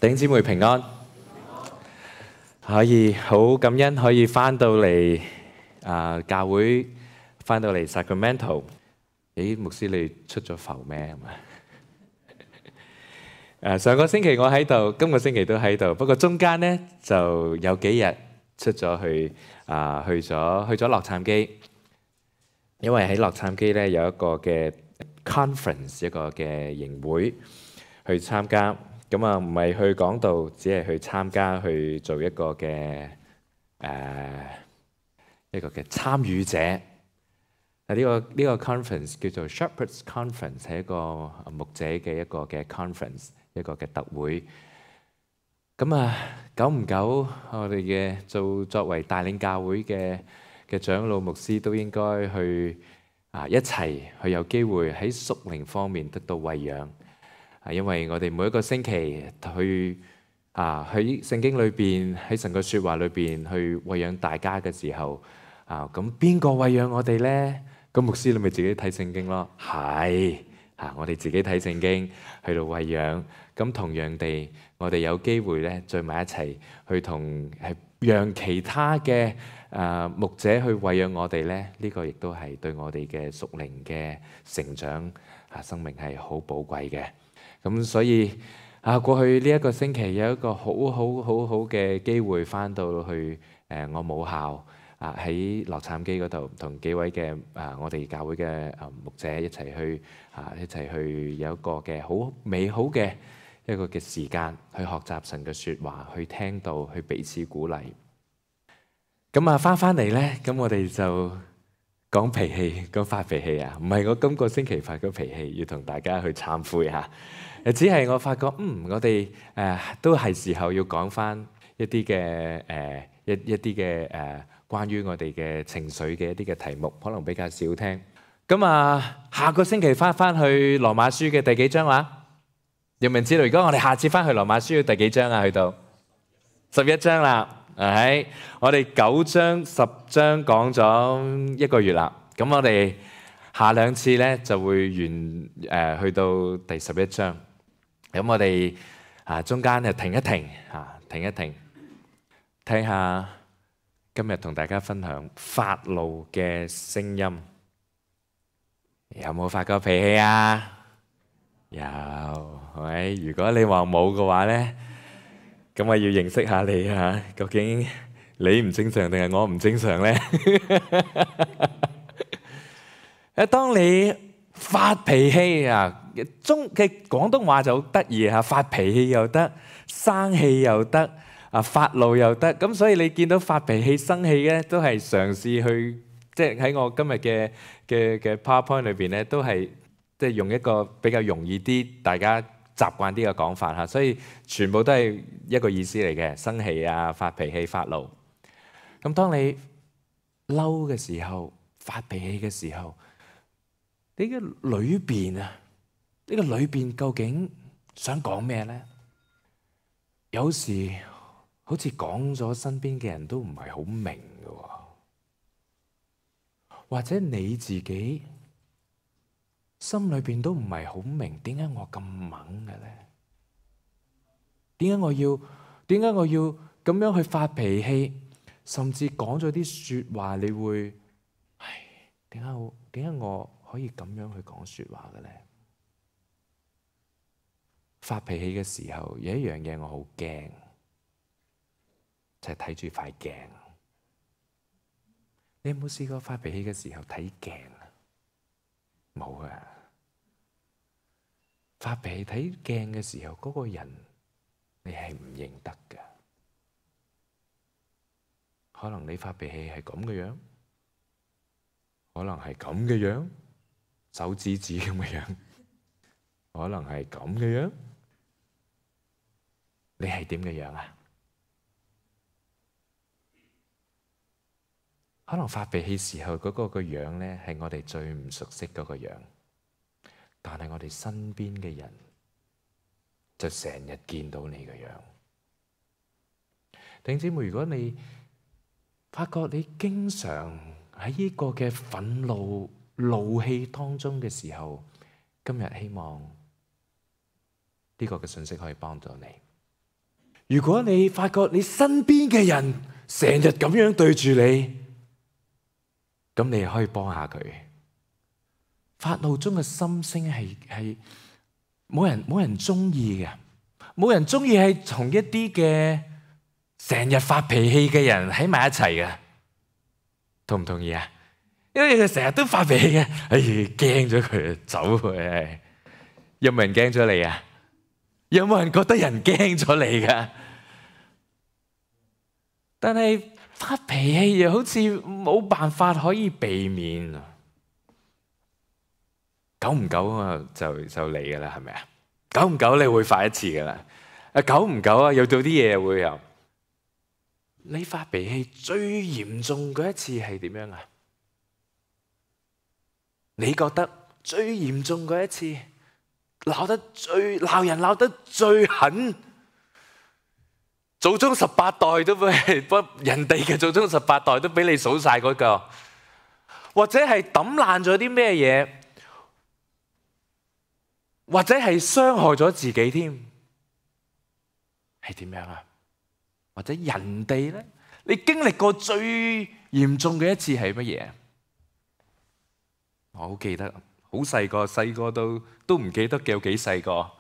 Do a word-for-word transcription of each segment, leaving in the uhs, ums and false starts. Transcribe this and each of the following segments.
弟兄姊妹平安，可以好感恩可以翻到嚟啊教會，翻到嚟 Sacramento。咦，牧師你出咗埠咩？誒上個星期我喺度，今個星期都喺度，不過中間呢就有幾日出咗去啊，去咗去咗洛杉磯，因為喺洛杉磯呢有一個嘅 conference， 一個嘅營會去參加。咁啊，唔係去講道，只係去參加，去做一個嘅誒、呃、一個嘅參與者。嗱、這、呢個呢、這個 conference 叫做 Shepherds Conference， 係一個牧者嘅一個嘅 conference， 一個嘅特會。咁啊，久唔久我哋嘅做作為帶領教會嘅嘅長老牧師都應該去啊一齊去有機會喺屬靈方面得到餵養。啊，因為我哋每一個星期去啊喺聖經裏邊，喺神嘅説話裏邊去餵養大家嘅時候，啊咁邊個餵養我哋呢？咁牧師你咪自己睇聖經咯，係啊，我哋自己睇聖經去到餵養。咁同樣地，我哋有機會咧聚埋一齊去同係讓其他嘅啊牧者去餵養我哋咧，呢個亦都係對我哋嘅屬靈嘅成長啊生命係好寶貴嘅。咁所以啊，過去呢一個星期有一個好好好好嘅機會，翻到去誒我母校啊，喺洛杉磯嗰度，同幾位嘅啊我哋教會嘅啊牧者一齊去啊一齊去有一個嘅好美好嘅一個嘅時間，去學習神嘅説話，去聽道，去彼此鼓勵。咁啊，翻翻嚟咧，咁我哋就講脾氣，講發脾氣啊，唔係我今個星期發咗脾氣，要同大家去懺悔下。誒，只係我發覺，嗯，我哋誒、呃、都係時候要講翻一啲嘅誒一一啲嘅誒關於我哋嘅情緒嘅一啲嘅題目，可能比較少聽。咁啊，下個星期翻翻去羅馬書嘅第幾章話？有冇人知道？如果我哋下次翻去羅馬書嘅第幾章啊？去到十一章啦，係我哋九章十章講咗一個月啦。咁我哋下兩次咧就會完誒、呃、去到第十一章。咁我哋啊中間就停一停啊，停一停，睇下今日同大家分享發怒嘅聲音。有冇發過脾氣啊？有，係咪？如果你話冇嘅話咧，咁我要認識下你啊，究竟你唔正常定係我唔正常咧？誒，當你發脾氣啊！中嘅廣東話就好得意嚇，發脾氣又得，生氣又得，啊發怒又得。咁所以你見到發脾氣、生氣咧，都係嘗試去，即係喺我今日嘅嘅嘅 PowerPoint 裏邊咧，都係即係用一個比較容易啲、大家習慣啲嘅講法嚇。所以全部都係一個意思嚟嘅，生氣啊、發脾氣、發怒。咁當你嬲嘅時候、發脾氣嘅時候，你嘅裏邊啊〜呢個裏邊究竟想講咩呢？有時好似講咗，身邊嘅人都唔係好明嘅，或者你自己心裏邊都唔係好明，點解我咁猛嘅呢？點解我要點解我要咁樣去發脾氣，甚至講咗啲説話，你會唉，點解我點解我可以咁樣去講説話嘅呢？發脾氣嘅時候，有一樣嘢我好驚，就係睇住塊鏡。你有冇試過發脾氣嘅時候睇鏡啊？冇啊！發脾氣睇鏡嘅時候，嗰個人你係唔認得㗎。可能你發脾氣係咁嘅樣，可能係咁嘅樣，手指指咁嘅樣，可能係咁嘅樣。你係點嘅樣啊？可能發脾氣時候嗰個個樣咧，係我哋最唔熟悉嗰個樣，但係我哋身邊嘅人就成日見到你嘅樣。弟兄姊妹，如果你發覺你經常喺呢個嘅憤怒、怒氣當中嘅時候，今日希望呢個嘅信息可以幫到你。如果你發覺你身邊嘅人成日咁樣對住你，咁你可以幫下佢。發怒中嘅心聲係係冇人冇人中意嘅，冇人中意係同一啲嘅成日發脾氣嘅人喺埋一齊嘅，同唔同意啊？因為佢成日都發脾氣嘅，哎，驚咗佢走佢。有冇人驚咗你啊？有冇人覺得人驚咗你噶？但係發脾氣又好似冇辦法可以避免，久唔久啊就就嚟噶啦，係咪啊？久唔久你會發一次噶啦，啊久唔久啊又到啲嘢會有。你發脾氣最嚴重嗰一次係點樣啊？你覺得最嚴重嗰一次，鬧得最鬧人鬧得最狠，祖宗十八代都俾人哋嘅祖宗十八代都俾你數晒嗰個，或者係抌爛咗啲咩嘢，或者係傷害咗自己添，係點樣啊？或者人哋咧，你經歷過最嚴重嘅一次係乜嘢？我好記得，好細個，細個都都唔記得有幾細個。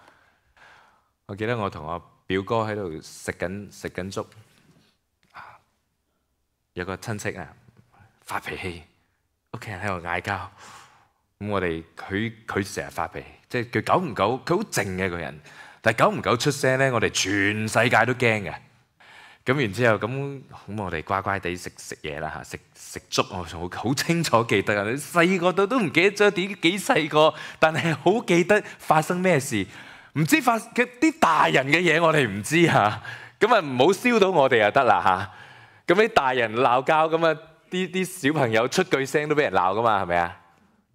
我記得我同我表哥喺度食緊食緊粥，有個親戚啊發脾氣，屋企人喺度嗌交。咁我哋佢佢成日發脾氣，即係佢久唔久，佢好靜嘅一個人，但係久唔久出聲咧，我哋全世界都驚嘅。咁然之後，咁咁我哋乖乖地食食嘢啦嚇，食食粥，我仲好清楚記得啊！你細個到都唔記得咗點幾細個，但係好記得發生咩事。唔知發嘅啲大人嘅嘢，我哋唔知嚇。咁啊唔好燒到我哋就得啦嚇。咁啲大人鬧交，咁啊啲啲小朋友出句聲都俾人鬧噶嘛，係咪啊？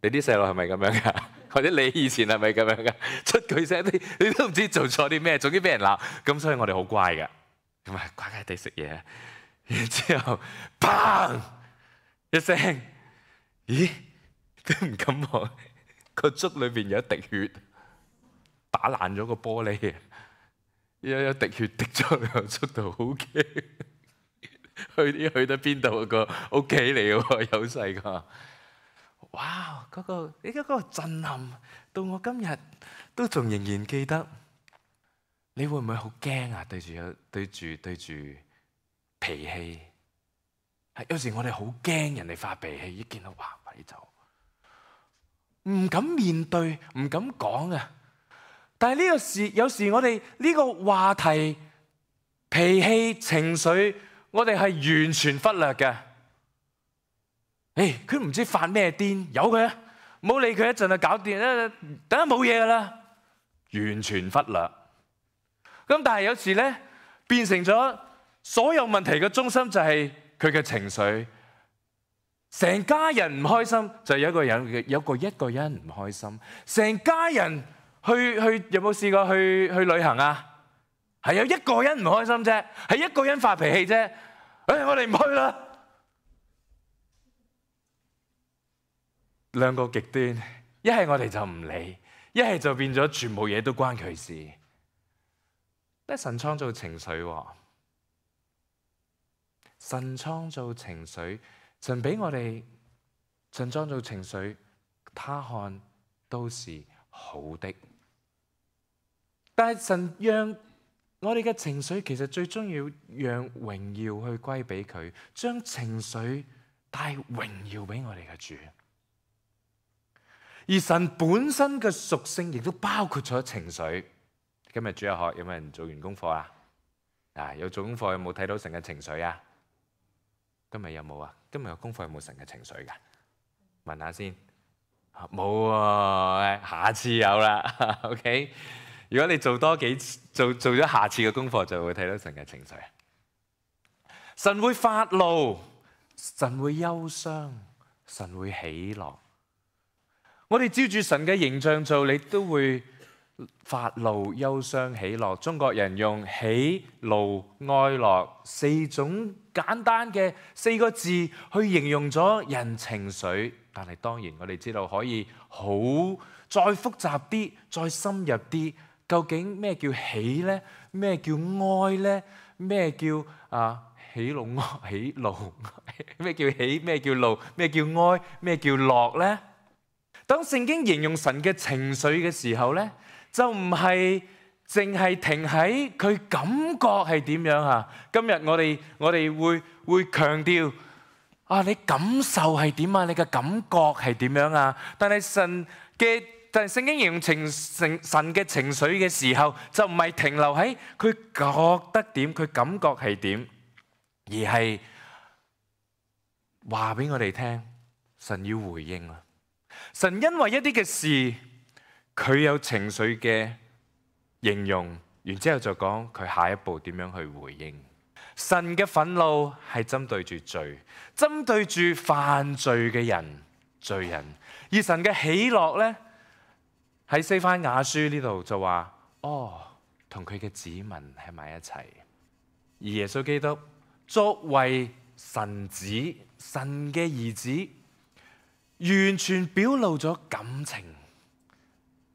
你啲細路係咪咁樣噶？或者你以前係咪咁樣噶？出句聲你你都唔知做錯啲咩，總之俾人鬧。咁所以我哋好乖噶。咁啊，乖乖地食嘢，然之後，砰一聲，咦，都唔敢望，個粥裏邊有一滴血，打爛咗個玻璃，有有滴血滴咗落個粥度，好驚。去啲去到邊度個屋企嚟嘅喎，有細個。哇！嗰個你嗰個震撼，到我今日都仲仍然記得。你會唔會好驚啊？對住有對住對住脾氣，係有時我哋好驚人哋發脾氣，一見到哇快啲走，唔敢面對，唔敢講啊！但係呢個時有時我哋呢個話題、脾氣、情緒，我哋係完全忽略嘅。誒，佢唔知發咩癲，由佢啊，唔好理佢一陣就搞掂啦，等下冇嘢噶啦，完全忽略。咁但係有時咧，變成咗所有問題嘅中心就係佢嘅情緒，成家人唔開心就有一個人有個一個人唔開心，成家人去去有冇試過去去旅行啊？係有一個人唔開心啫，係一個人發脾氣啫。誒，我哋唔去啦。兩個極端，一係我哋就唔理，一係就變咗全部嘢都關佢事。咧神創造情緒喎，神創造情緒，神俾我哋，神創造情緒，他看都是好的。但係神讓我哋嘅情緒，其實最終要讓榮耀去歸俾佢，將情緒帶榮耀俾我哋嘅主。而神本身嘅屬性亦都包括咗情緒。今日主日學有冇人做完功課啊？啊，有做功課有冇睇到神嘅情緒啊？今日有冇啊？今日嘅功課有冇神嘅情緒噶？問下先。冇啊，下次有啦。OK， 如果你做多幾次，做做咗下次嘅功課，就會睇到神嘅情緒。神會發怒，神會憂傷，神會喜樂。我哋照住神嘅形象做，你都會發怒、憂傷、喜樂。中國人用喜、怒、哀樂四種簡單嘅四個字去形容咗人情緒。但係當然我哋知道可以好再複雜啲、再深入啲，究竟咩叫喜咧？咩叫哀咧？咩叫啊喜怒哀喜怒？咩叫喜？咩叫怒？咩叫哀？咩叫樂咧？當聖經形容神嘅情緒嘅時候咧，就唔係淨係停喺佢感覺係點樣啊？今日我哋我哋會會強調啊，你感受係點啊？你嘅感覺係點樣啊？但係神嘅但係聖經形容情神神嘅情緒嘅時候，就唔係停留喺佢覺得點，佢感覺係點，而係話俾我哋聽，神要回應啊！神因為一啲嘅事，佢有情緒嘅形容，然之後就講佢下一步點樣去回應。神嘅憤怒係針對住罪，針對住犯罪嘅人、罪人；而神嘅喜樂呢，喺西番雅書呢度就話：哦，同佢嘅子民喺埋一齊。而耶穌基督作為神子、神嘅兒子，完全表露咗感情，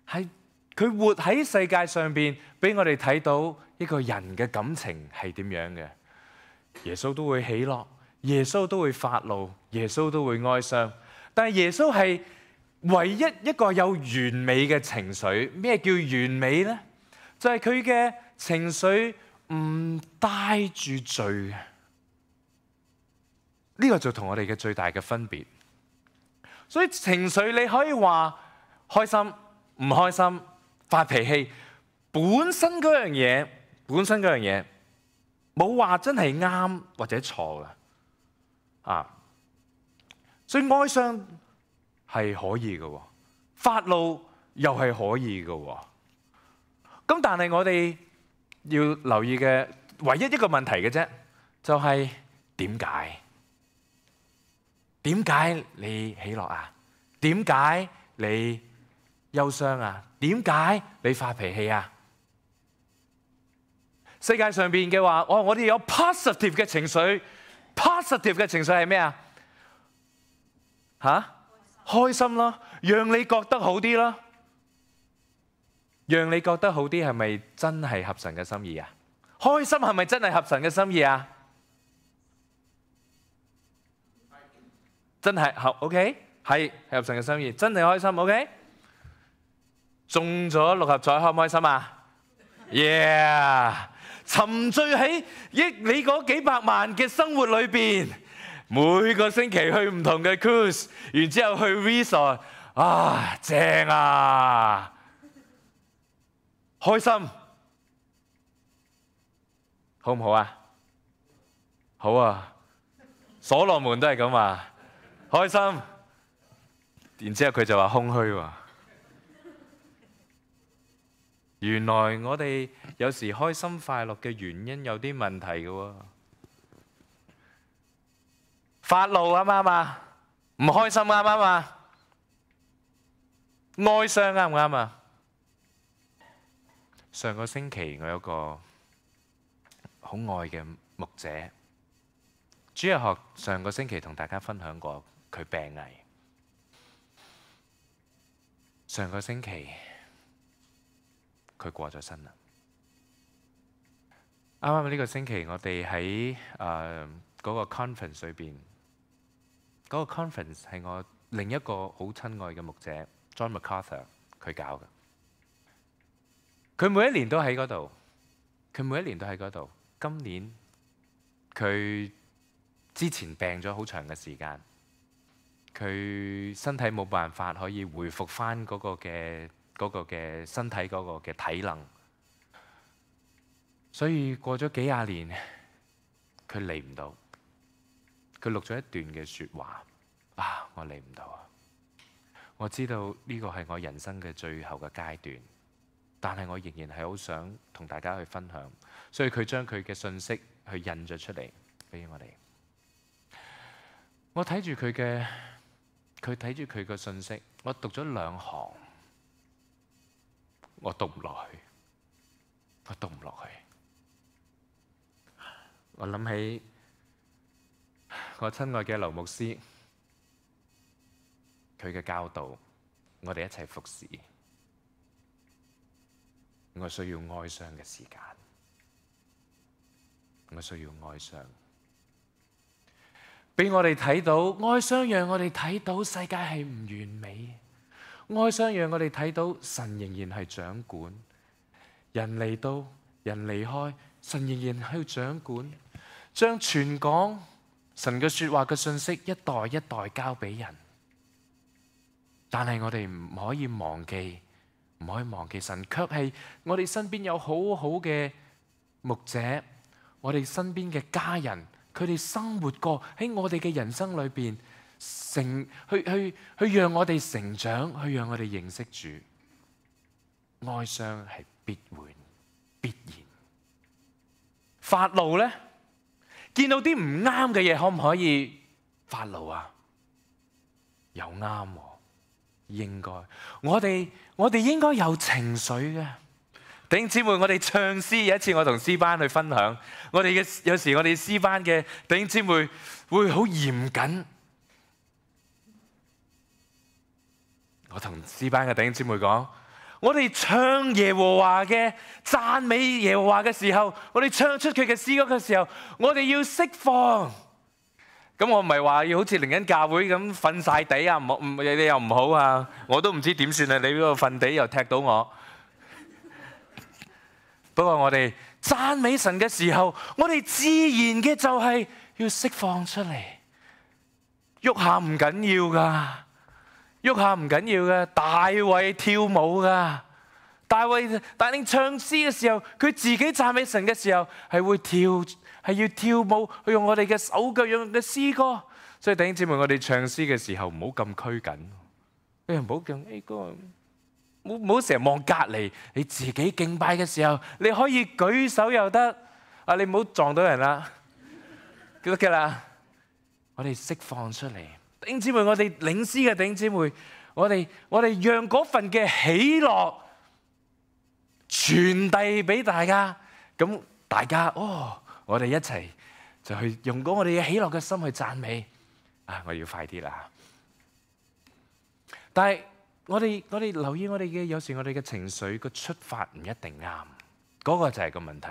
係佢活喺世界上邊，俾我哋睇到一個人嘅感情係點樣嘅。耶穌都會喜樂，耶穌都會發怒，耶穌都會哀傷。但係耶穌係唯一一個有完美嘅情緒。咩叫完美呢？就係佢嘅情緒唔帶住罪嘅。呢個就同我哋嘅最大嘅分別。所以情緒你可以話開心、唔開心、發脾氣，本身嗰樣嘢，本身嗰樣嘢冇話真係啱或者錯嘅啊。所以哀傷係可以嘅，發怒又係可以嘅。咁但係我哋要留意嘅唯一一個問題嘅啫，就係點解？點解你喜樂啊？點解你憂傷啊？點解你發脾氣啊？世界上邊嘅話，哦，我哋有 positive 嘅情緒 ，positive 嘅情緒係咩啊？吓？開心咯，讓你覺得好啲咯，讓你覺得好啲係咪真係合神嘅心意啊？開心係咪真係合神嘅心意啊？真係合 OK， 係合神嘅心意，真係開心 OK。中咗六合彩開唔開心啊 ？Yeah， 沉醉喺益你嗰幾百萬嘅生活裏邊，每個星期去唔同嘅 cruise， 然之後去 resort， 啊正啊，開心，好唔好啊？好啊，所羅門都係咁啊。開心，然之後佢就話空虛喎。原來我哋有時開心快樂嘅原因有啲問題嘅喎。發怒啱唔啱啊？唔開心啱唔啱啊？哀傷啱唔啱啊？上個星期我有個好愛嘅牧者，主日學上個星期同大家分享過。佢病危，上個星期佢過咗身啦。啱啱呢個星期我哋喺誒嗰個 conference 裏邊，嗰、嗰個 conference 係我另一個好親愛嘅牧者 John MacArthur 佢搞嘅。佢每一年都喺嗰度，佢每一年都喺嗰度。今年佢之前病咗好長嘅時間。佢身體冇辦法可以回復翻嗰個嘅嗰個嘅身體嗰個嘅體能，所以過咗幾廿年，佢嚟唔到。佢錄咗一段嘅説話，啊，我嚟唔到啊！我知道呢個係我人生嘅最後嘅階段，但係我仍然係好想同大家去分享，所以佢將佢嘅信息去印咗出嚟俾我哋。我睇住佢嘅。佢睇住佢個信息，我讀咗兩行，我讀唔落去，我讀唔落去。我諗起我親愛嘅劉牧師，佢嘅教導，我哋一齊服侍。我需要哀傷嘅時間，我需要哀傷。俾我哋睇到哀傷，讓我哋睇到世界係唔完美。哀傷讓我哋睇到神仍然係掌管。人嚟到，人離開，神仍然喺度掌管，將傳講神嘅說話嘅信息一代一代交俾人。但係我哋唔可以忘記，唔可以忘記神卻係我哋身邊有好好嘅牧者，我哋身邊嘅家人，佢哋生活過喺我哋嘅人生裏邊，成去去去讓我哋成長，去讓我哋認識主。哀傷係必會必然。發怒呢？見到啲唔啱嘅嘢，可唔可以發怒啊？又啱喎，應該。我哋我哋應該有情緒嘅。弟兄姊妹，我哋唱詩，有一次我同詩班去分享，我哋嘅有時我哋詩班嘅弟兄姊妹會好嚴謹。我同詩班嘅弟兄姊妹講，我哋唱耶和華嘅讚美耶和華嘅時候，我哋唱出佢嘅詩歌嘅時候，我哋要釋放。咁我唔係話要好似靈恩教會咁瞓晒地啊，唔好唔你又唔好啊，我都唔知點算啊！你嗰個瞓地又踢到我。不過我哋讚美神嘅時候，我哋自然嘅就係要釋放出嚟，喐下唔緊要噶。喐下唔緊要嘅，大衛跳舞噶，大衛帶領唱詩嘅時候，佢自己讚美神嘅時候係會跳，係要跳舞，去用我哋嘅手腳，用嘅詩歌。所以弟兄姊妹，我哋唱詩嘅時候唔好咁拘謹，你唔好咁誒哥，唔好唔好成日望隔籬。你自己敬拜嘅時候，你可以舉手又得，啊你唔好撞到人啦，記得嘅啦。我哋釋放出嚟。弟兄姊妹，我哋領詩嘅弟兄姊妹，我哋我哋讓嗰份嘅喜樂傳遞俾大家，咁大家哦，我哋一齊就去用嗰我哋嘅喜樂嘅心去讚美。啊，我要快啲啦！但係我哋我哋留意我哋嘅，有時我哋嘅情緒個出發唔一定啱，嗰個就係個問題。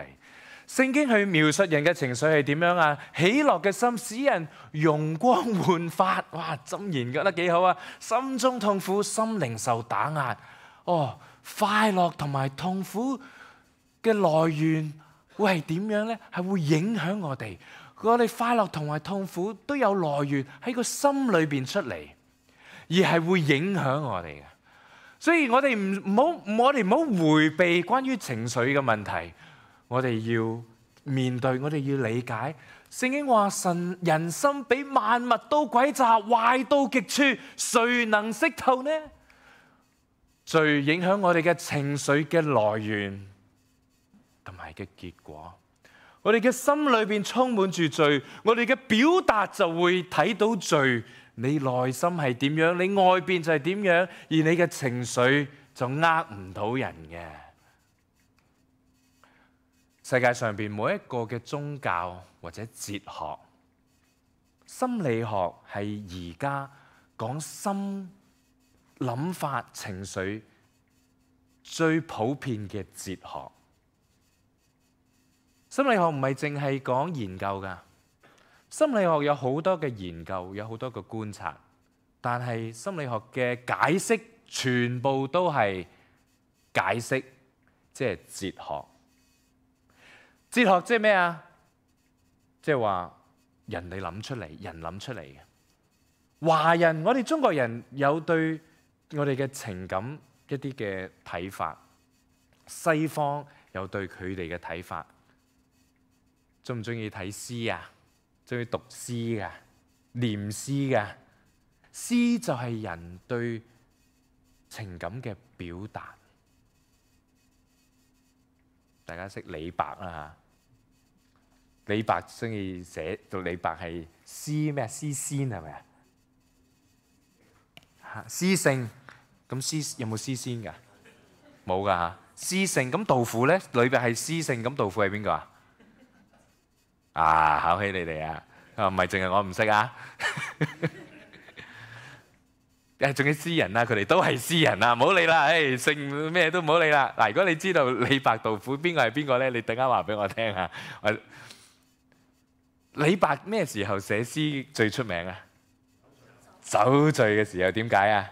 聖經去描述人嘅情緒係點樣啊？喜樂嘅心使人容光煥發。哇，箴言覺得幾好啊！心中痛苦，心靈受打壓。哦，快樂同埋痛苦嘅來源會係點樣呢？係會影響我哋。我哋快樂同埋痛苦都有來源喺個心裏邊出嚟，而係會影響我哋嘅。所以我哋唔唔好，我哋唔好迴避關於情緒嘅問題。我哋要面對，我哋要理解。聖經話神人心比萬物都詭詐，壞到極處，誰能識透呢？罪影響我哋嘅情緒嘅來源同埋嘅結果。我哋嘅心裏邊充滿住罪，我哋嘅表達就會睇到罪。你內心係點樣，你外邊就係點樣，而你嘅情緒就呃唔到人嘅。世界上邊每一個嘅宗教或者哲學、心理學係而家講心諗法、情緒最普遍嘅哲學。心理學唔係淨係講研究㗎，心理學有好多嘅研究，有好多嘅觀察，但係心理學嘅解釋全部都係解釋，即係哲學。哲學即係咩啊？即係話人哋諗出嚟，人諗出嚟嘅。華人，我哋中國人有對我哋嘅情感一啲嘅睇法，西方有對佢哋嘅睇法。鍾唔鍾意睇詩啊？鍾意讀詩㗎？念詩㗎？詩就係人對情感嘅表達。大家識李白啦嚇，李白鍾意寫到李白係詩咩？詩仙係咪啊？嚇，詩聖，咁詩有冇詩仙㗎？冇㗎嚇。詩聖，咁杜甫咧，裏邊係詩聖，咁杜甫係邊個啊？啊，考起你哋啊！啊，唔係淨係我唔識啊。誒仲有詩人啦，佢哋都係詩人啊，唔好理啦，誒姓咩都唔好理啦。嗱，如果你知道李白、杜甫邊個係邊個咧，你等間話俾我聽啊。李白咩時候寫詩最出名啊？酒醉嘅時候。點解啊？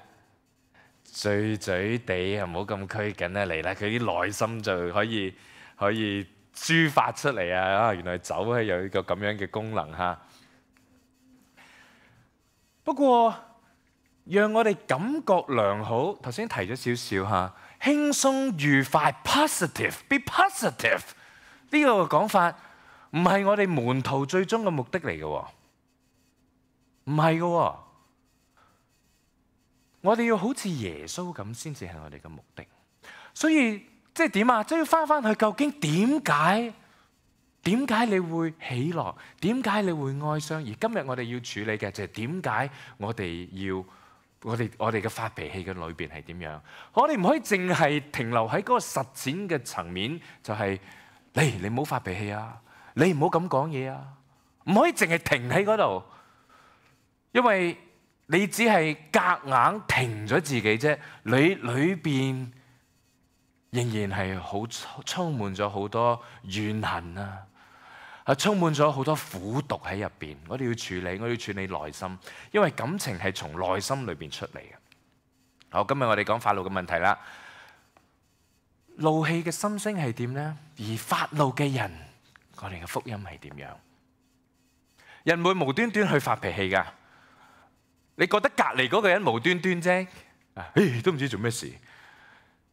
醉醉地啊，唔好咁拘謹啊，嚟啦，佢啲內心就可以可以抒發出嚟啊！啊，原來酒係有一個咁樣嘅功能嚇。不過，讓我哋感覺良好，頭先提咗少少嚇，輕鬆愉快 ，positive，be positive 呢個講法唔係我哋門徒最終嘅目的嚟嘅喎，唔係嘅喎，我哋要好似耶穌咁先至係我哋嘅目的。所以即係點啊？即係要翻翻去，究竟點解？點解你會喜樂？點解你會哀傷？而今日我哋要處理嘅就係點解我哋要我哋我哋嘅發脾氣嘅裏邊係點樣？我哋唔可以淨係停留喺嗰個實踐嘅層面，就係你你唔好發脾氣啊，你唔好咁講嘢啊，唔可以淨係停喺嗰度，因為你只係夾硬停咗自己啫，你裏邊仍然係好充滿咗好多怨恨啊！係充滿咗好多苦毒喺入邊，我哋要處理，我哋要處理內心，因為感情係從內心裏邊出嚟嘅。好，今日我哋講發怒嘅問題啦。怒氣嘅心聲係點呢？而發怒嘅人，我哋嘅福音係點樣？人會無端端去發脾氣㗎。你覺得隔離嗰個人無端端啫，誒都唔知做咩事。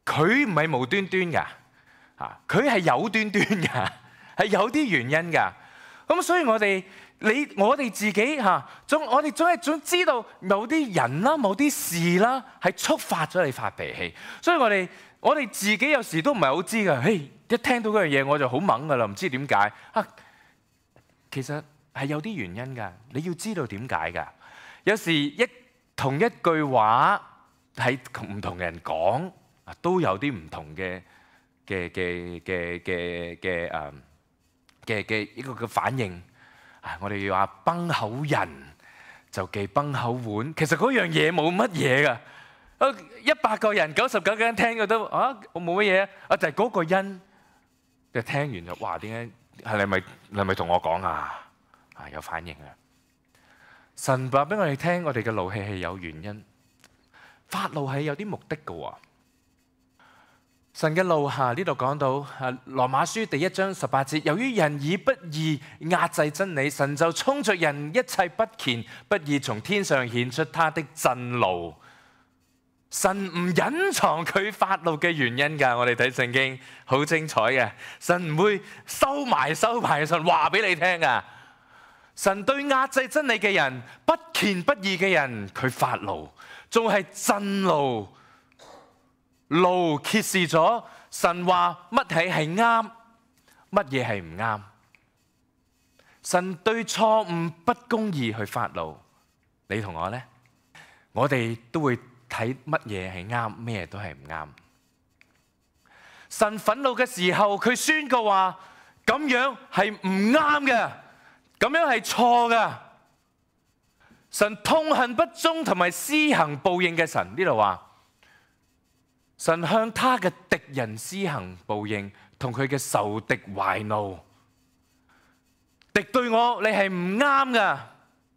佢唔係無端端㗎，啊，佢係有端端㗎。係有啲原因㗎，咁所以我哋你我哋自己嚇，總我哋總係總知道某啲人啦、某啲事啦，係觸發咗你發脾氣。所以我哋我哋自己有時都唔係好知㗎。嘿，一聽到嗰樣嘢我就好猛㗎啦，唔知點解啊。其實係有啲原因㗎，你要知道點解㗎。有時一同一句話喺唔同人講啊，都有啲唔同嘅嘅嘅嘅嘅嘅誒。嘅嘅一個嘅反應，啊！我哋要話崩口人就忌崩口碗，其實嗰樣嘢冇乜嘢㗎。一百個人九十九個人聽嘅都啊，我冇乜嘢啊，就係嗰個因，就聽完就哇，點解係你咪你咪同我講啊？啊，有反應啊！神話俾我哋聽，我哋嘅怒氣係有原因，發怒係有啲目的嘅喎。神嘅怒下呢度講到，啊，羅馬書第一章十八節，由於人以不義壓制真理，神就衝着人一切不虔不義，從天上顯出他的震怒。神唔隱藏佢發怒嘅原因㗎，我哋睇聖經好精彩嘅，神唔會收埋收埋，神話俾你聽㗎。神對壓制真理嘅人、不虔不義嘅人，佢發怒，仲係震怒。怒揭示咗神話乜嘢係啱，乜嘢係唔啱。神對錯誤不公義去發怒，你同我呢？我哋都會睇乜嘢係啱，咩都係唔啱。神憤怒嘅時候，佢宣告話咁樣係唔啱嘅，咁樣係錯嘅。神痛恨不忠同埋施行報應嘅神，呢度話。神向他嘅敵人施行報應，同佢嘅仇敵懷怒。敵對我，你係唔啱噶。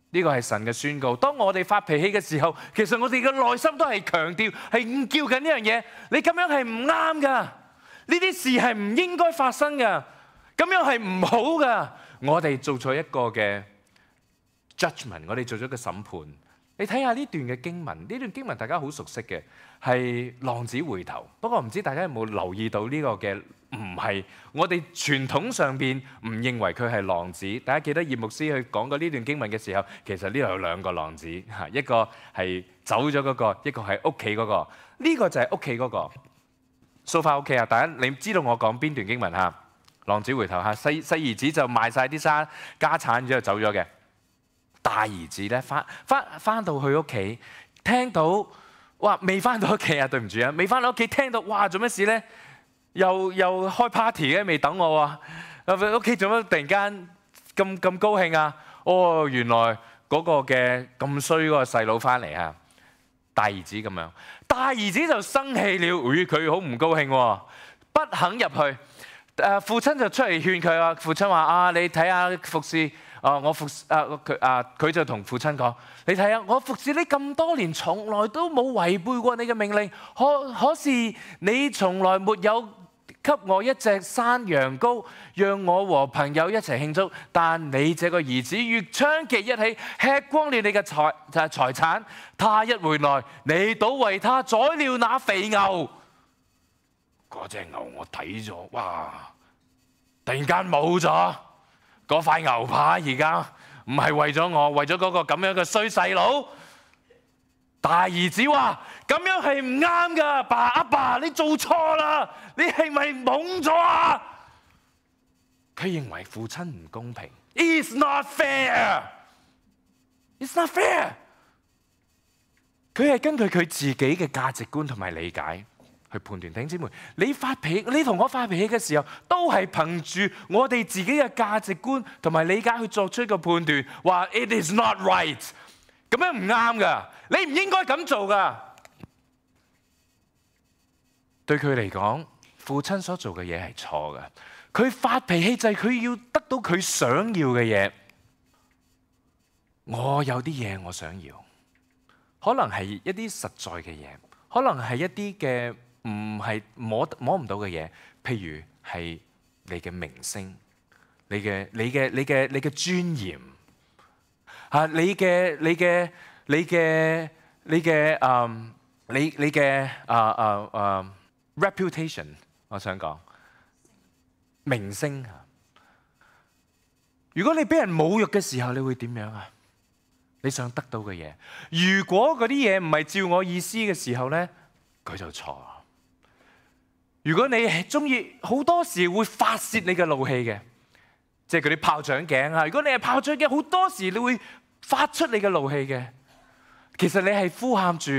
呢個係神嘅宣告。當我哋發脾氣嘅時候，其實我哋嘅內心都係強調，係叫緊呢樣嘢。你咁樣係唔啱噶，呢啲事係唔應該發生噶，咁樣係唔好噶。我哋做咗一個嘅 judgment， 我哋做咗個審判。你睇下呢段嘅經文，呢段經文大家好熟悉嘅，係浪子回頭。不過唔知大家有冇留意到呢個嘅唔係我哋傳統上邊唔認為佢係浪子。大家記得葉牧師去講過呢段經文嘅時候，其實呢度有兩個浪子嚇，一個係走咗嗰個，一個係屋企嗰個。呢個就係屋企嗰個。掃翻屋企啊！大家你知道我講邊段經文嚇？浪子回頭嚇，細細兒子就賣晒啲沙家產之後走咗嘅。大兒子咧翻翻翻到去屋企，聽到哇未翻到屋企啊！對唔住啊，未翻到屋企聽到哇做咩事咧？又又開 party 嘅，未等我喎！屋企做乜突然間咁咁高興啊？哦，原來嗰個嘅咁衰嗰個細佬翻嚟啊！大兒子咁樣。大兒子就生氣了，咦，佢好唔高興喎，不肯入去。誒，父親就出嚟勸佢啊。父親話：啊，你睇下服侍啊，我服啊佢啊，佢就同父親講：你睇下我服侍你咁多年，從來都冇違背過你嘅命令。可可是你從來沒有給我一隻山羊羔，讓我和朋友一齊慶祝。但你這個兒子與娼妓一起吃光了你嘅財就係財產。他一回來，你倒為他宰了那肥牛。嗰隻牛我睇咗，哇！突然間冇咗嗰塊牛扒，而家唔係為咗我，為咗嗰個咁樣嘅衰細佬。大兒子話：咁樣係唔啱㗎，爸阿爸，你做錯啦，你係咪懵咗啊？佢認為父親唔公平。It's not fair. It's not fair. 佢係根據佢自己嘅價值觀同埋理解去判斷。弟兄姊妹，你發脾氣，你同我發脾氣嘅時候，都係憑住我哋自己嘅價值觀同埋理解去作出一個判斷，話 It is not right。咁樣唔啱噶，你唔應該咁做噶。對佢嚟講，父親所做嘅嘢係錯嘅。佢發脾氣就係佢要得到佢想要嘅嘢。我有啲嘢我想要，可能係一啲實在嘅嘢，可能係一啲嘅唔係摸摸唔到嘅嘢，譬如係你嘅名聲、你嘅你嘅你嘅你嘅尊嚴啊，你嘅你嘅你嘅你嘅誒你你嘅啊啊啊 reputation， 我想講名聲啊。如果你俾人侮辱嘅時候，你會點樣啊？你想得到嘅嘢，如果嗰啲嘢唔係照我意思嘅時候咧，佢就錯。如果你係中意，好多時會發泄你嘅怒氣嘅，即係嗰啲炮仗頸啊。如果你係炮仗頸，好多時你會發出你嘅怒氣嘅。其實你係呼喊住，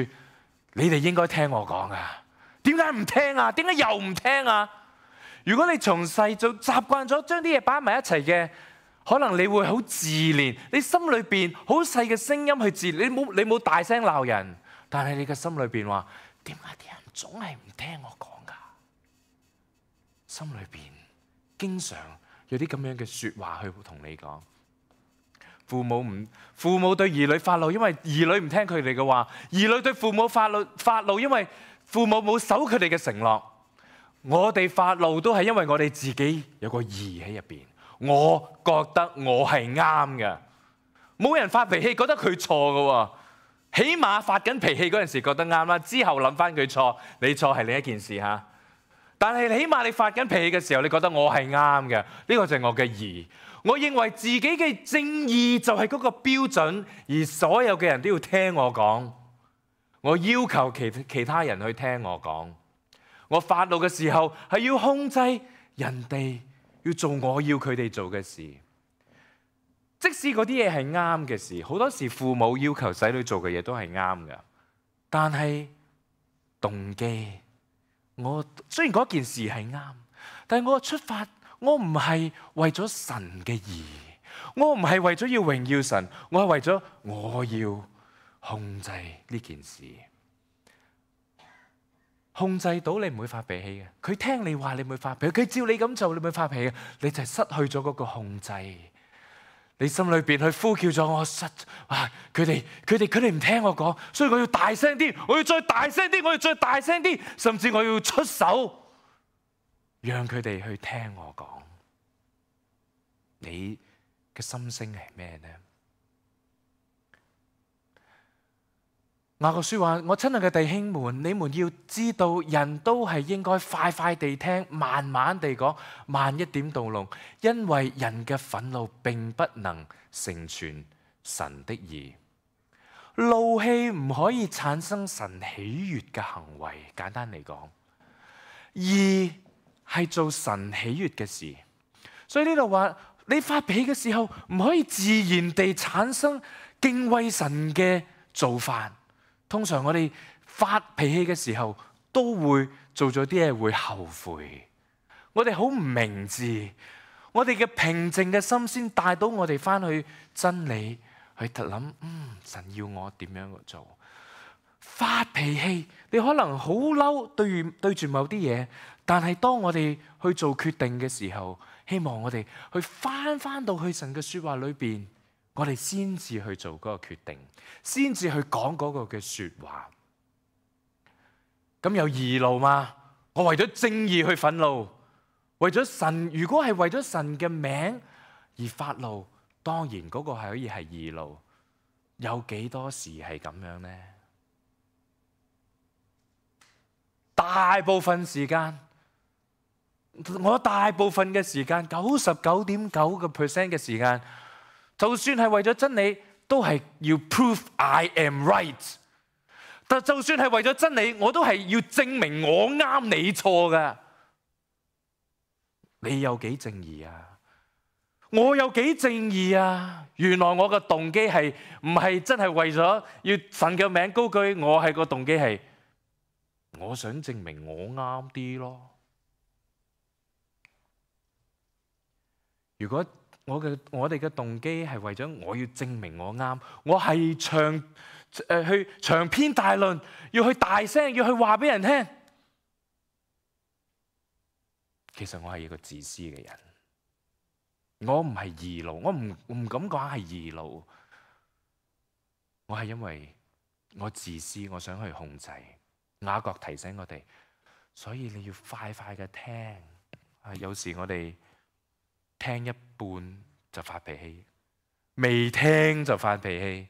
你哋應該聽我講啊。點解唔聽啊？點解又唔聽啊？如果你從細就習慣咗將啲嘢擺埋一齊嘅，可能你會好自憐，你心裏邊好細嘅聲音去自憐，你冇你冇大聲鬧人，但係你嘅心裏邊話：點解啲人總係唔聽我講㗎？心裏邊經常有啲咁樣嘅説話去同你講。父母唔父母對兒女發怒，因為兒女唔聽佢哋嘅話；兒女對父母發怒發怒，因為父母冇守佢哋嘅承諾。我哋發怒都係因為我哋自己有個義喺入邊。我覺得我係啱嘅，冇人發脾氣覺得佢錯嘅喎。起碼發緊脾氣嗰陣時覺得啱啦，之後諗翻佢錯，你錯係另一件事嚇。但係起碼你發緊脾氣嘅時候，你覺得我係啱嘅，呢個就係我嘅義。我認為自己嘅正義就係嗰個標準，而所有嘅人都要聽我講。我要求其其他人去聽我講。我發怒嘅時候係要控制人哋。要做我要佢哋做嘅事，即使嗰啲嘢係啱嘅事，好多時父母要求仔女做嘅嘢都係啱嘅，但係動機，我雖然嗰件事係啱，但係我嘅出發，我唔係為咗神嘅義，我唔係為咗要榮耀神，我係為咗我要控制呢件事。控制到你唔會發脾氣嘅，佢聽你話你唔會發脾氣，佢照你咁做你唔會發脾氣，你就係失去咗嗰個控制。你心裏邊去呼叫咗我失，啊！佢哋佢哋佢哋唔聽我講，所以我要大聲啲，我要再大聲啲，我要再大聲啲，甚至我要出手，讓佢哋去聽我講。你嘅心聲係咩呢？雅各書話：我親愛嘅弟兄們，你們要知道，人都係應該快快地聽，慢慢地講，慢一點動怒，因為人嘅憤怒並不能成全神的義。怒氣唔可以產生神喜悅嘅行為。簡單嚟講，義係做神喜悅嘅事。所以呢度話，你發脾氣嘅時候，唔可以自然地產生敬畏神嘅做法。通常我哋發脾氣嘅時候，都會做咗啲嘢會後悔。我哋好唔明智，我哋嘅平靜嘅心先帶到我哋翻去真理去諗。嗯，神要我點樣做？發脾氣，你可能好嬲對住對住某啲嘢，但係當我哋去做決定嘅時候，希望我哋去翻翻到去神嘅説話裏邊，我哋先至去做嗰個決定，先至去講嗰個嘅説話。咁有義怒嘛？我為咗正義去憤怒，為咗神，如果係為咗神嘅名而發怒，當然嗰個係可以係義怒。有幾多時係咁樣呢？大部分時間，我大部分嘅時間，九十九點九個 percent 嘅時間，就算係為咗真理，都係要 prove I am right。但就算係為咗真理，我都係要證明我啱你錯㗎。你有幾正義啊？我有幾正義啊？原來我嘅動機係唔係真係為咗要神嘅名高舉？我係個動機係我想證明我啱啲咯。如果我嘅我哋嘅動機係為咗我要證明我啱，我係長誒去長篇大論，要去大聲，要去話俾人聽。其實我係一個自私嘅人，我唔係義怒，我唔唔敢講係義怒，我係因為我自私，我想去控制。雅各提醒我哋，所以你要快快嘅聽。啊，有時我哋聽一半就發脾氣，未聽就發脾氣。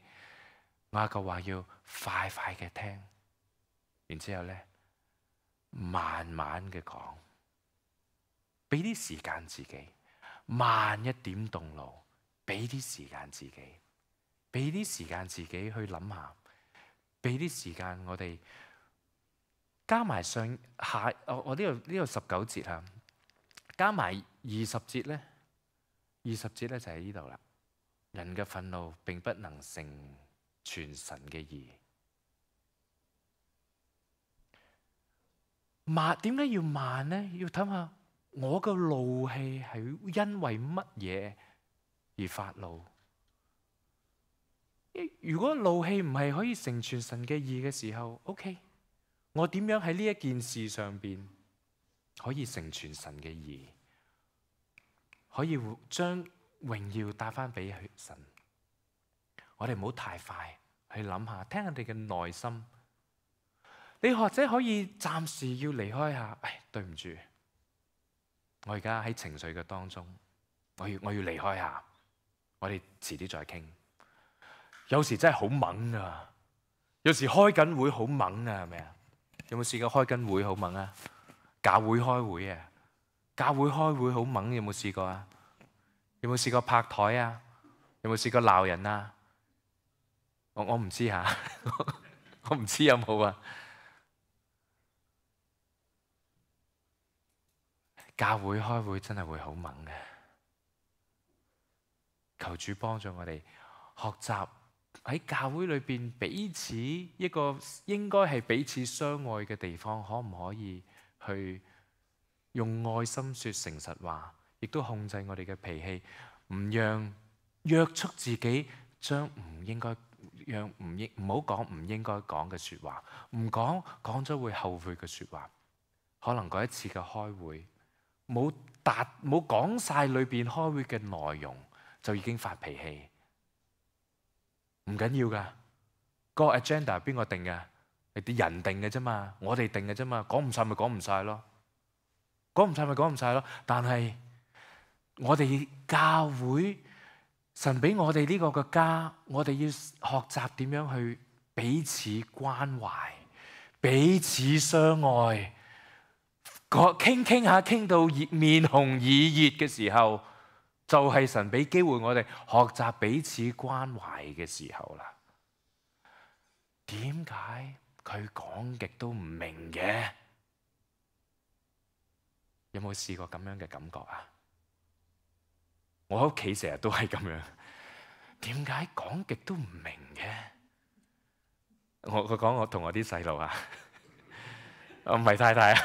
雅各話要快快嘅聽，然之後咧慢慢嘅講，俾啲時間自己，慢一點動怒，俾啲時間自己，俾啲時間自己去諗下，俾啲時間我哋加埋上下，我我呢度呢度十九節啊，加埋二十節咧，二十節咧就喺呢度啦。人嘅憤怒並不能成全神嘅義。慢，點解要慢呢？要睇下我嘅怒氣係因為乜嘢而發怒。如果怒氣唔係可以成全神嘅義嘅時候 ，OK， 我點樣喺呢一件事上邊可以成全神嘅義，可以將榮耀帶翻俾神。我哋唔好太快去諗下，聽下你嘅內心。你或者可以暫時要離開下，唉，對唔住，我而家喺情緒嘅當中，我要我要離開下，我哋遲啲再傾。有時真係好猛啊，有時開緊會好猛啊，係咪啊？有冇試過開緊會好猛啊？教會開會啊，教會開會好猛，有冇試過啊？有冇試過拍台啊？有冇試過鬧人啊？我我唔知吓，我唔知有冇啊？教會開會真係會好猛嘅，求主幫助我哋學習喺教會裏邊彼此一個應該係彼此相愛嘅地方，可唔可以去用愛心說誠實話，亦都控制我哋嘅脾氣，唔讓約束自己將唔應該讓唔應唔好講唔應該講嘅說話，唔講講咗會後悔嘅說話。可能嗰一次嘅開會冇達冇講晒裏邊開會嘅內容，就已經發脾氣。唔緊要噶，個 agenda 邊個定嘅？係啲人定嘅啫嘛，我哋定嘅啫嘛，講唔晒咪講唔晒咯，講唔晒咪講唔晒咯。但係我哋教會，神俾我哋呢個嘅家，我哋要學習點樣去彼此關懷、彼此相愛。傾傾下傾到面紅耳熱嘅時候，就係神俾機會我哋學習彼此關懷嘅時候啦。點解佢講極都唔明嘅？有冇試過咁樣嘅感覺啊？我喺屋企成日都係咁樣。點解講極都唔明嘅？我我講我同我啲細路啊。我唔係太太啊，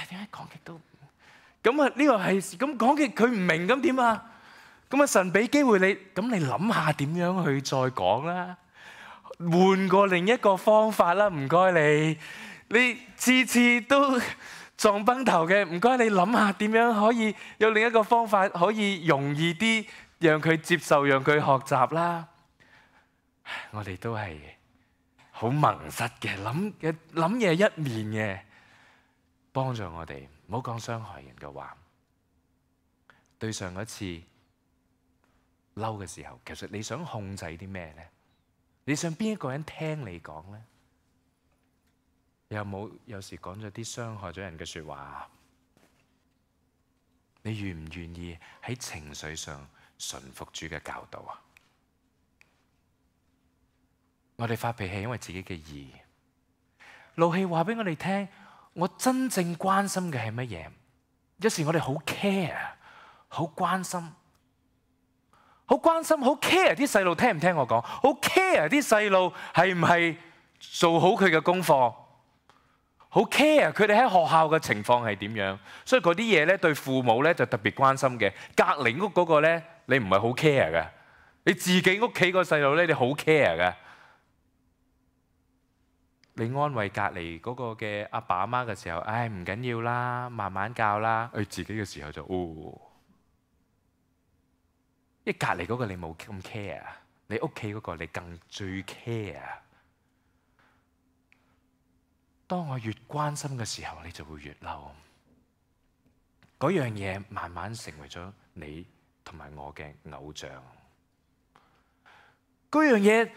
點解講極都咁啊？呢個係咁講極佢唔明咁點啊？咁啊神俾機會你，咁你諗下點樣去再講啦？換過另一個方法啦，唔該你。你次次都撞崩頭嘅，唔該你諗下點樣可以有另一個方法可以容易啲，讓佢接受，讓佢學習啦。我哋都係好矇塞嘅，諗嘅諗嘢一面嘅，幫助我哋唔好講傷害人嘅話。對上一次嬲嘅時候，其實你想控制啲咩呢？你想邊一個人聽你講呢？有冇有時講咗啲傷害咗人嘅説話？你願唔願意喺情緒上順服主嘅教導啊？我哋發脾氣因為自己嘅義，怒氣話俾我哋聽，我真正關心嘅係乜嘢？有時我哋好 care，好關心，好關心，好 care 啲細路聽唔聽我講，好 care 啲細路係唔係做好佢嘅功課，好 care 佢哋喺學校嘅情況係點樣。所以嗰啲嘢咧對父母咧就特別關心嘅。隔離屋嗰個咧你唔係好 care 嘅，你自己屋企個細路咧你好 care 嘅。你安慰隔離嗰個嘅阿爸阿媽嘅時候，唉唔緊要啦，慢慢教啦。佢自己嘅時候就哦，因為隔離嗰個你冇咁 care， 你屋企嗰個你更最 care。當我越關心嘅時候，你就會越嬲。嗰樣嘢慢慢成為咗你同埋我嘅偶像。嗰樣嘢。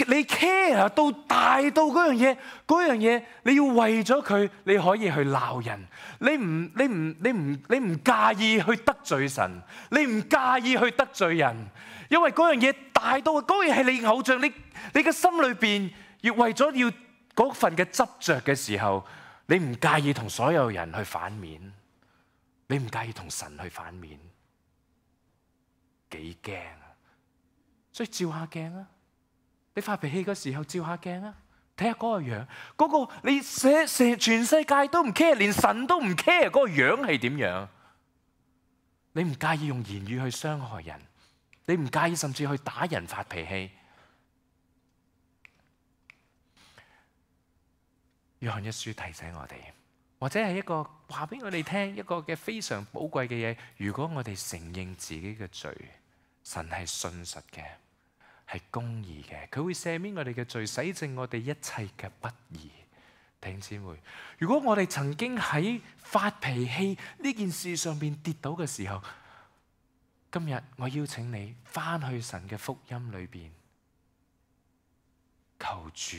你 care 到大到嗰樣嘢，嗰樣嘢你要為咗佢，你可以去鬧人。你唔你唔你唔你唔介意去得罪神，你唔介意去得罪人，因為嗰樣嘢大到嗰樣係你偶像。你你嘅心裏邊要為咗要嗰份嘅執着嘅時候，你唔介意同所有人去反面，你唔介意同神去反面，幾驚啊！所以照下鏡啊！你發脾氣嘅時候照下鏡啊，睇下嗰個樣，嗰、嗰個你寫成全世界都唔 care，連神都唔 care 嗰個樣係點樣？你唔介意用言語去傷害人，你唔介意甚至去打人發脾氣。約翰一書提醒我哋，或者係一個話俾我哋聽一個嘅非常寶貴嘅嘢。如果我哋承認自己嘅罪，神係信實嘅，係公義嘅，佢會赦免我哋嘅罪，洗淨我哋一切嘅不義。弟兄姊妹，如果我哋曾經喺發脾氣呢件事上面跌倒嘅時候，今日我邀請你翻去神嘅福音裏邊，求主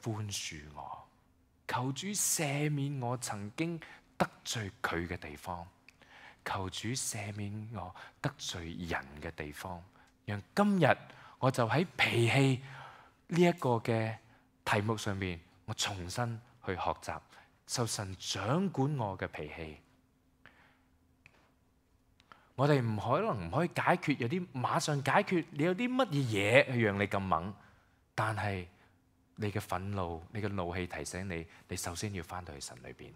寬恕我，求主赦免我曾經得罪佢嘅地方，求主赦免我得罪人嘅地方，讓今日我就喺脾氣呢一個嘅題目上面，我重新去學習，受神掌管我嘅脾氣。我哋唔可能唔可以解決，有啲馬上解決。你有啲乜嘢嘢去讓你咁猛？但係你嘅憤怒、你嘅怒氣提醒你，你首先要翻到去神裏邊。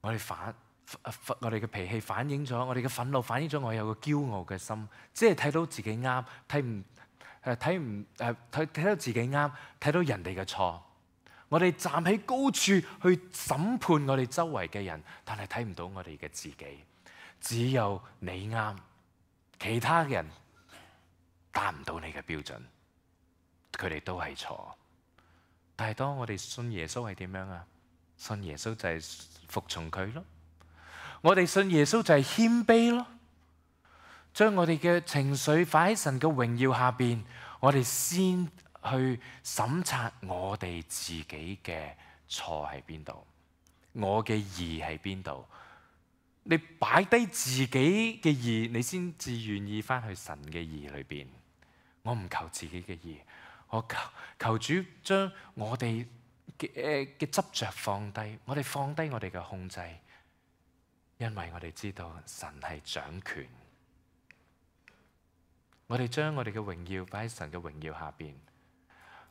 我哋反。我哋嘅脾氣反映咗，我哋嘅憤怒反映咗我有個驕傲嘅心，即係睇到自己啱，睇唔誒睇唔誒睇睇到自己啱，睇到人哋嘅錯。我哋站喺高處去審判我哋周圍嘅人，但係睇唔到我哋嘅自己。只有你啱，其他人達唔到你嘅標準，佢哋都係錯。但係當我哋信耶穌係點樣啊？信耶穌就係服從佢咯。我哋信耶穌就係謙卑咯，將我哋嘅情緒擺喺神嘅榮耀下邊，我哋先去審察我哋自己嘅錯喺邊度，我嘅義喺邊度。你擺低自己嘅義，你先至願意翻去神嘅義裏邊。我唔求自己嘅義，我求求主將我哋嘅嘅執着放低，我哋放低我哋嘅控制。因為我哋知道神係掌權，我哋將我哋嘅榮耀擺喺神嘅榮耀下邊，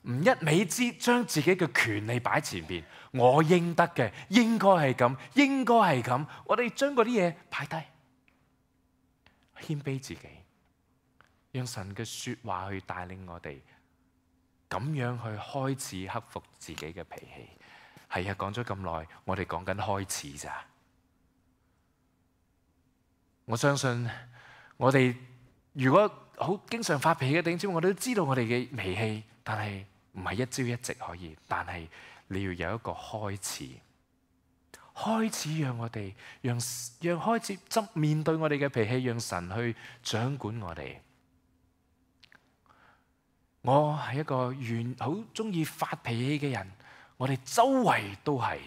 唔一味之將自己嘅權利擺前邊。我應得嘅，應該係咁，應該係咁。我哋將嗰啲嘢擺低，謙卑自己，讓神嘅說話去帶領我哋咁樣去開始克服自己嘅脾氣。係啊，講咗咁耐，我哋講緊開始咋。我相信我哋如果好經常發脾氣嘅弟兄姊妹，我哋都知道我哋嘅脾氣，但係唔係一朝一夕可以。但係你要有一個開始，開始讓我哋讓讓開始執面對我哋嘅脾氣，讓神去掌管我哋。我係一個願好中意發脾氣嘅人，我哋周圍都係，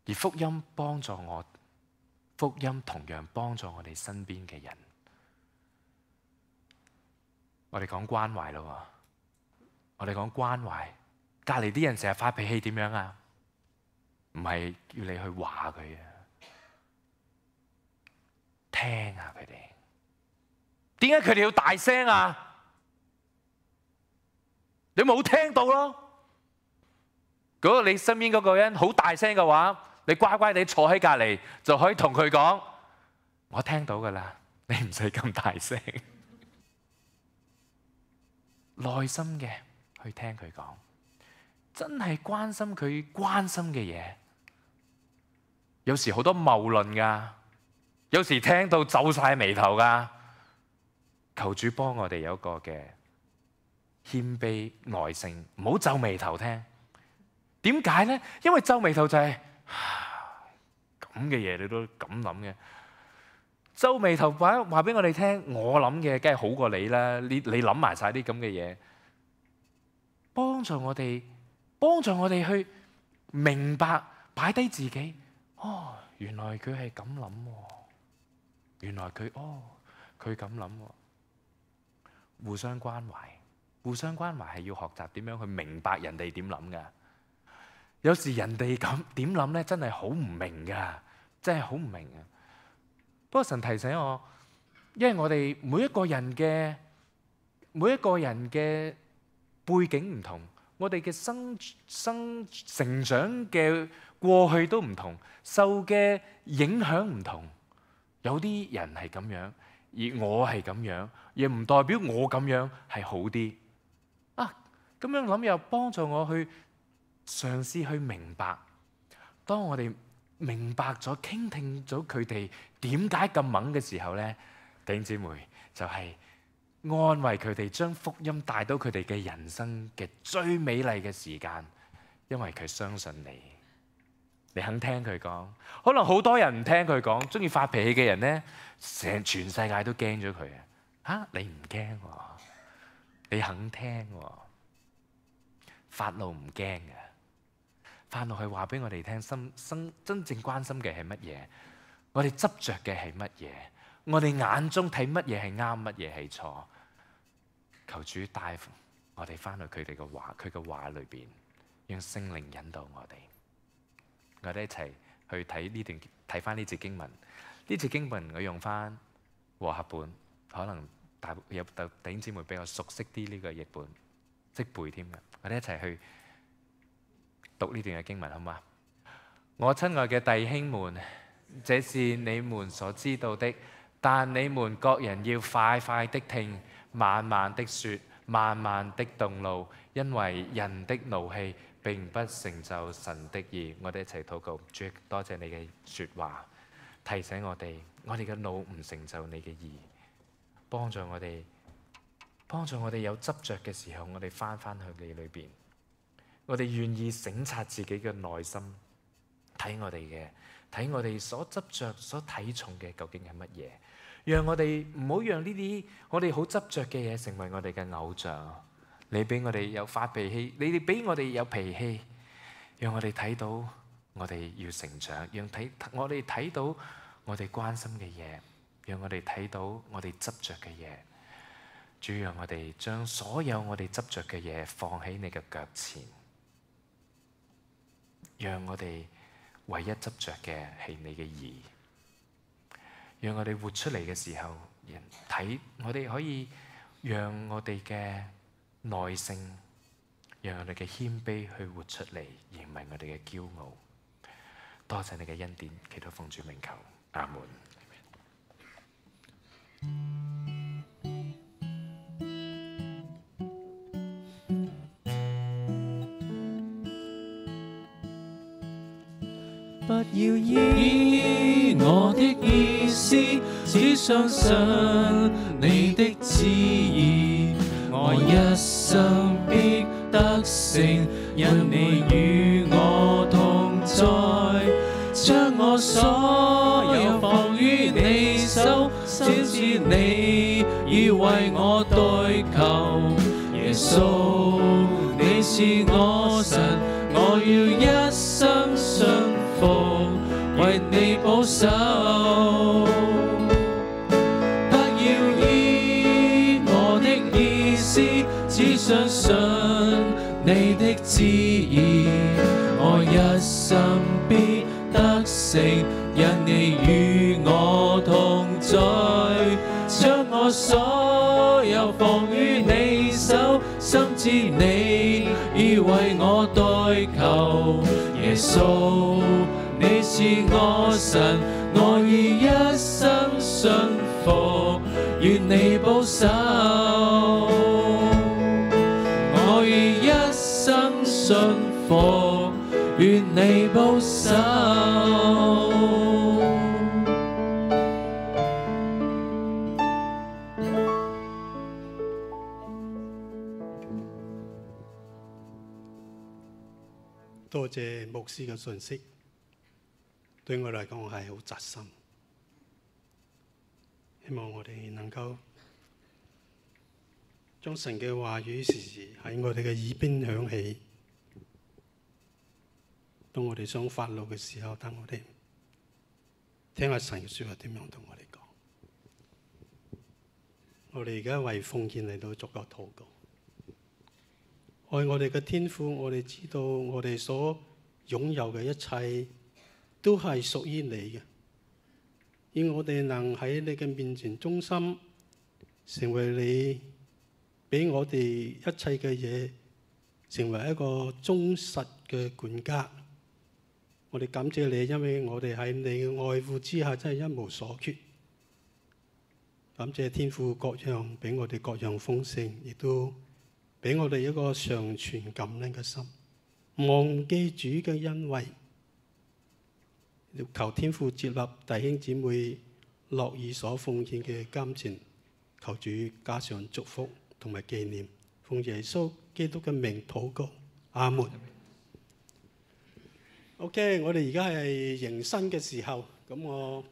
而福音幫助我，福音同樣幫助我哋身邊嘅人。我哋講關懷咯，我哋講關懷，隔籬啲人成日發脾氣點樣啊？唔係要你去話佢啊，聽下佢哋。點解佢哋要大聲啊？你冇聽到咯？如果你身邊嗰個人好大聲嘅話，你乖乖地坐喺隔籬就可以同佢講：我聽到噶啦，你唔使咁大聲。耐心嘅去聽佢講，真係關心佢關心嘅嘢。有時好多謬論噶，有時聽到皺晒眉頭噶。求主幫我哋有一個嘅謙卑耐性，唔好皺眉頭聽。點解呢？因為皺眉頭就係咁嘅嘢，你都咁諗嘅。皺眉頭話話俾我哋聽，我諗嘅梗係好過你啦。你你諗埋晒啲咁嘅嘢，幫助我哋，幫助我哋去明白，擺低自己。哦，原來佢係咁諗，原來佢哦，佢咁諗。互相關懷，互相關懷係要學習點樣去明白人哋點諗噶。有時人哋咁點諗咧，真係好唔明噶，真係好唔明啊！不過神提醒我，因為我哋每一個人嘅每一個人嘅背景唔同，我哋嘅生生成長嘅過去都唔同，受嘅影響唔同。有啲人係咁樣，而我係咁樣，亦唔代表我咁樣係好啲啊！咁樣諗又幫助我去嘗試去明白。當我哋明白咗、傾聽咗佢哋點解咁猛嘅時候咧，弟兄姊妹就係安慰佢哋，將福音帶到佢哋嘅人生嘅最美麗嘅時間，因為佢相信你，你肯聽佢講。可能好多人唔聽佢講，中意發脾氣嘅人咧，成全世界都驚咗佢啊！嚇，你唔驚喎，你肯聽喎，發怒唔驚嘅。發怒係話俾我哋聽，心生真正關心嘅係乜嘢？我哋執着嘅係乜嘢？我哋眼中睇乜嘢係啱，乜嘢係錯？求主帶我哋翻去佢哋嘅話，佢嘅話裏邊，讓聖靈引導我哋。我哋一齊去睇呢段，睇翻呢節經文。呢節經文我用翻和合本，可能大有弟兄姊妹比較熟悉啲呢個譯本，識背添嘅。我哋一齊去讀呢段嘅經文，好嗎？我親愛嘅弟兄們，這是你們所知道的，但你們各人要快快的聽，慢慢的說，慢慢的動怒，因為人的怒氣並不成就神的義。我哋一齊禱告，主，多謝你嘅說話，提醒我哋，我哋嘅怒唔成就你嘅義，幫助我哋，幫助我哋有執着嘅時候，我哋翻翻去你裏邊。我哋願意省察自己嘅內心，睇我哋嘅，睇我哋所執着、所睇重嘅究竟係乜嘢？讓我哋唔好讓呢啲我哋好執着嘅嘢成為我哋嘅偶像。你俾我哋有發脾氣，你哋俾我哋有脾氣，讓我哋睇到我哋要成長，讓睇我哋睇到我哋關心嘅嘢，讓我哋睇到我哋執着嘅嘢。主，讓我哋將所有我哋執着嘅嘢放喺你嘅腳前。讓我哋唯一執着嘅係你嘅義，讓我哋活出嚟嘅時候，人睇我哋可以讓我哋嘅耐性，讓我哋嘅謙卑去活出嚟，而唔係我哋嘅驕傲。多謝你嘅恩典，祈禱奉主名求，阿門。不要依我的意思，只相信你的旨意。我一生必得勝，因你與我同在。將我所有放於你手，先知你已為我代求。耶穌，你是我神，我要一生信服，為你保守。不要依我的意思，只相信你的旨意。我一生必得勝，因你與我同在。將我所有放於你手，深知你已為我代求。耶穌，你是我神，我以一生信服，願你保守。我以一生信服，願你保守。多謝牧師嘅信息，對我嚟講係好扎心。希望我哋能夠將神嘅話語時時喺我哋嘅耳邊響起。當我哋想發怒嘅時候，等我哋聽下神嘅説話點樣同我哋講。我哋而家為奉獻嚟到作個禱告。愛我哋嘅天父，我哋知道我哋所擁有嘅一切都係屬於你嘅，而我哋能喺你嘅面前忠心，成為你俾我哋一切嘅嘢，成為一個忠實嘅管家。我哋感謝你，因為我哋喺你嘅愛護之下，真係一無所缺。感謝天父各樣俾我哋各樣豐盛，亦都俾我哋一個常存感恩嘅心，忘記主嘅恩惠。求天父接納弟兄姊妹樂意所奉獻嘅金錢，求主加上祝福同埋紀念。奉耶穌基督嘅名禱告，阿門。OK， 我哋而家係迎新嘅時候，咁我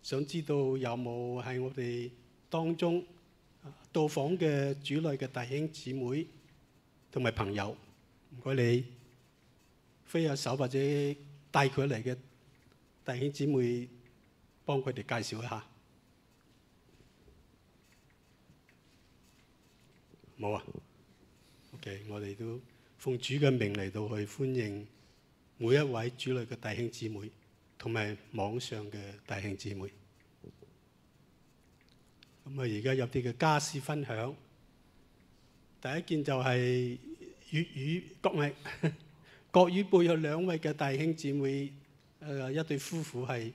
想知道有冇喺我哋當中到訪嘅主內嘅弟兄姊妹同埋朋友，唔該你揮下手或者帶佢嚟嘅弟兄姊妹，幫佢哋介紹一下。冇啊 ？OK， 我哋都奉主嘅名嚟到去歡迎每一位主內嘅弟兄姊妹同埋網上嘅弟兄姊妹。咁啊，而家有啲嘅家事分享。第一件就係粵語國語國語輩有兩位嘅弟兄姊妹，誒一對夫婦係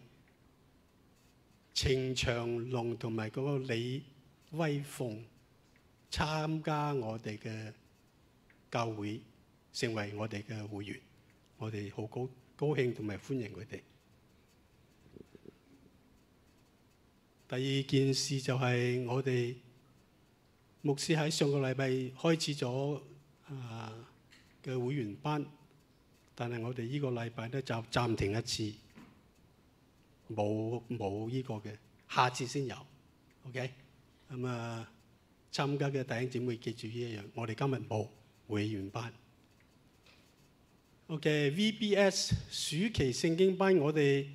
程長龍同埋嗰個李威鳳參加我哋嘅教會，成為我哋嘅會員。我哋好高高興同埋歡迎佢哋。第二件事就係我哋牧師喺上個禮拜開始咗啊嘅會員班，但係我哋呢個禮拜咧就暫停一次，冇冇呢個嘅，下次先有。OK，咁啊參加嘅弟兄姊妹記住呢一樣，我哋今日冇會員班。OK，V B S 暑期聖經班我哋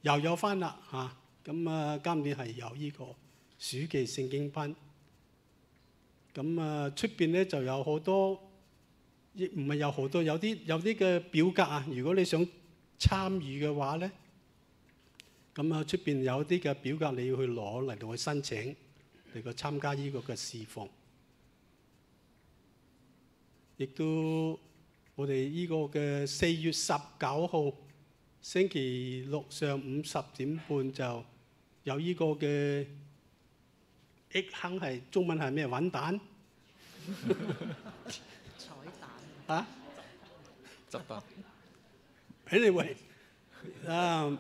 又有翻啦嚇。咁啊，今年係有呢個暑期聖經班。咁啊，出邊咧就有好多，亦唔係有好多，有啲有啲嘅表格啊。如果你想參與嘅話咧，咁啊出邊有啲嘅表格你要去攞嚟到去申請嚟個參加呢個嘅侍奉。亦都我哋呢個嘅四月十九號星期六上午十點半就有呢個嘅 egg hunt，係中文係咩？揾蛋？彩蛋啊？執蛋。anyway， 啊，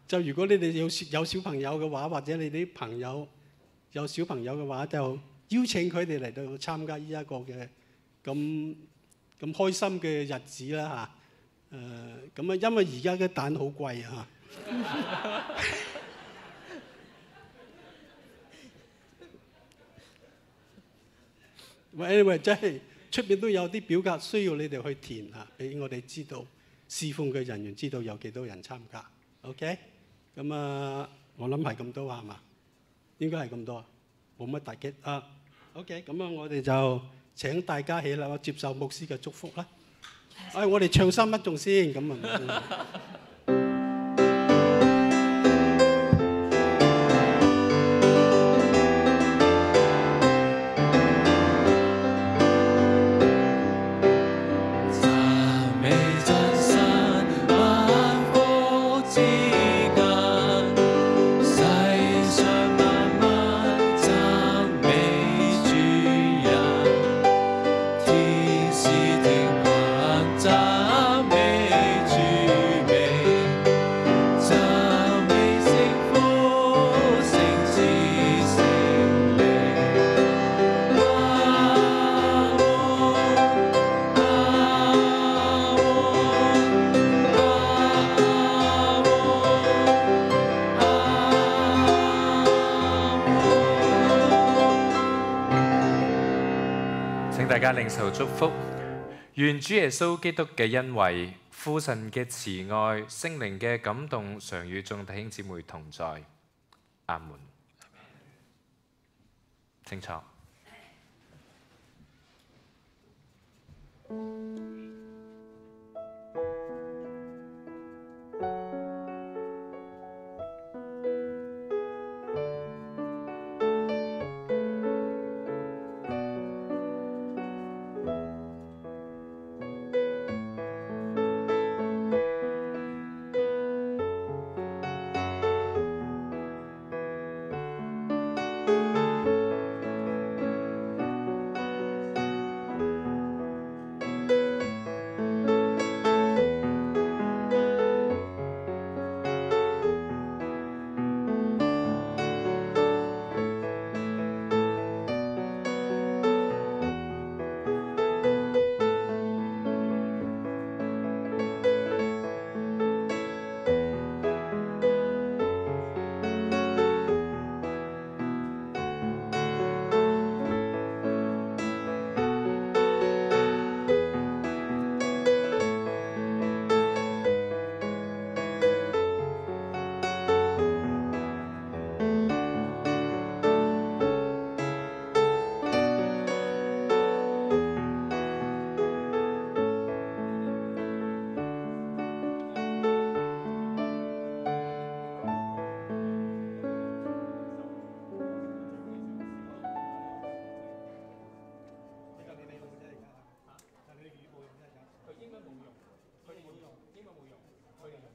就如果你哋有有小朋友嘅話，或者你啲朋友有小朋友嘅話，就邀請佢哋嚟到參加呢一個嘅咁咁開心嘅日子啦嚇。誒咁啊，因為而家嘅蛋好貴啊。anyway， 真係出邊都有啲表格需要你哋去填嚇，俾我哋知道侍奉嘅人員知道有幾多人參加。OK， 咁啊，我諗係咁多係嘛？應該係咁多，冇乜大擊啊。OK， 咁啊，我哋就請大家起立接受牧師嘅祝福啦。哎，我哋唱新乜仲先咁啊？大家領受祝福，願主耶穌基督嘅恩惠、父神嘅慈愛、聖靈嘅感動，常與眾弟兄姊妹同在。阿門。請坐。佢英文冇用，佢哋冇用，英文冇用，佢哋用。